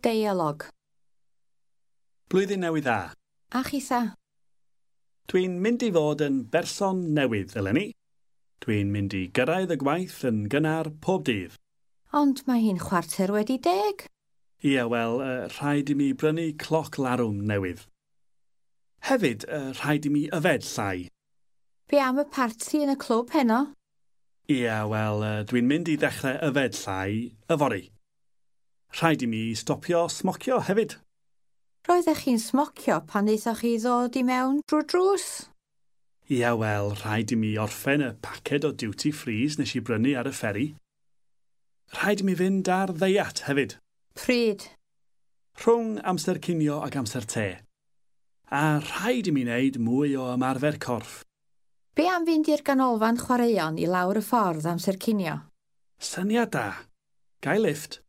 Deialog. Blwyddyn Newydd Dda. A chitha? Dwi'n mynd i fod yn berson newydd eleni. Dwi'n mynd i gyrraedd y gwaith yn gynnar pob dydd. Ond mae hi'n 10:15. Ie, wel, rhaid i mi brynu cloc larwm newydd. Hefyd, rhaid i mi yfed llai. Be am y parti yn y clwb heno? Ie, wel, dwi'n mynd i ddechrau yfed llai yfory. Rhaid i mi stopio smocio hefyd. Roeddech chi'n smocio pan wnaethoch chi ddod i mewn drwy'r drws? Ie, wel, rhaid i mi orffen y paced o duty frees nes i brynu ar y fferi. Rhaid i mi fynd ar ddeiat hefyd. Pryd? Rhwng amser cinio ac amser te. A rhaid i mi wneud mwy o ymarfer corff. Be am fynd i'r ganolfan chwaraeon i lawr y ffordd amser cinio? Syniad da. Ga i lifft?